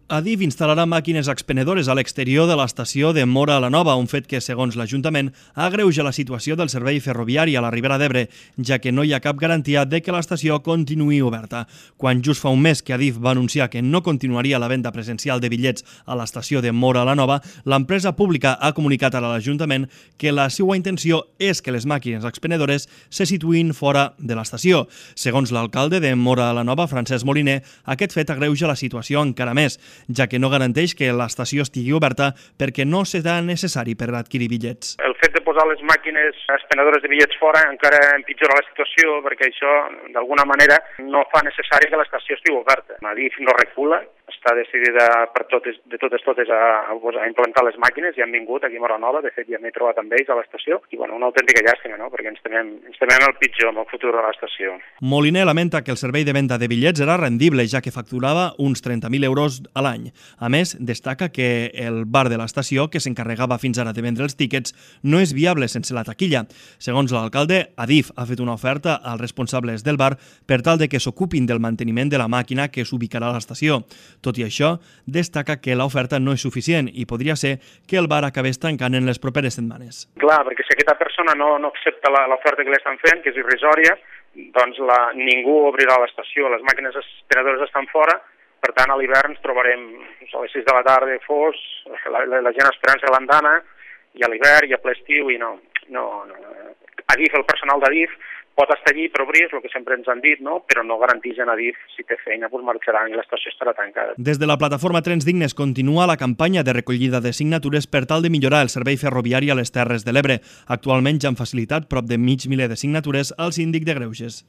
Adif instal·larà màquines expenedores a l'exterior de l'estació de Móra la Nova, un fet que, segons l'Ajuntament, agreuja la situació del servei ferroviari a la Ribera d'Ebre, ja que no hi ha cap garantia de que l'estació continuï oberta. Quan just fa un mes que Adif va anunciar que no continuaria la venda presencial de bitllets a l'estació de Móra la Nova, l'empresa pública ha comunicat a l'Ajuntament que la seva intenció és que les màquines expenedores se situïn fora de l'estació. Segons l'alcalde de Móra la Nova, Francesc Moliner, aquest fet agreuja la situació encara més, ja que no garanteix que l'estació estigui oberta perquè no serà necessari per adquirir bitllets. El fet de posar les màquines expenedores de bitllets fora encara empitjora la situació perquè això, d'alguna manera, no fa necessari que l'estació estigui oberta. Adif no recula, està decidida per totes a implantar les màquines i han vingut aquí a Móra la Nova, de fet ja m'he trobat amb ells a l'estació i una autèntica llàstima, no? Perquè ens temem el pitjor amb el futur de l'estació. Moliner lamenta que el servei de venda de bitllets era rendible, ja que facturava uns 30.000 euros a l'any. A més, destaca que el bar de l'estació, que s'encarregava fins ara de vendre els tíquets, no és viable sense la taquilla. Segons l'alcalde, Adif ha fet una oferta als responsables del bar per tal de que s'ocupin del manteniment de la màquina que s'ubicarà a l'estació. Tot i això, destaca que l'oferta no és suficient i podria ser que el bar acabés tancant en les properes setmanes. Clar, perquè si aquesta persona no accepta l'oferta que li estan fent, que és irrisòria, doncs ningú obrirà l'estació, les màquines expenedores estan fora. Per tant, a l'hivern ens trobarem a les 6 de la tarda fos, la gent esperant-se l'andana, i a l'hivern i a ple estiu, i no. Adif, el personal d'Adif, pot estar allí per obrir, és el que sempre ens han dit, no? Però no garanteixen Adif si té feina, doncs marxaran i l'estació estarà tancada. Des de la plataforma Trens Dignes continua la campanya de recollida de signatures per tal de millorar el servei ferroviari a les Terres de l'Ebre. Actualment ja han facilitat prop de mig miler de signatures al síndic de Greuges.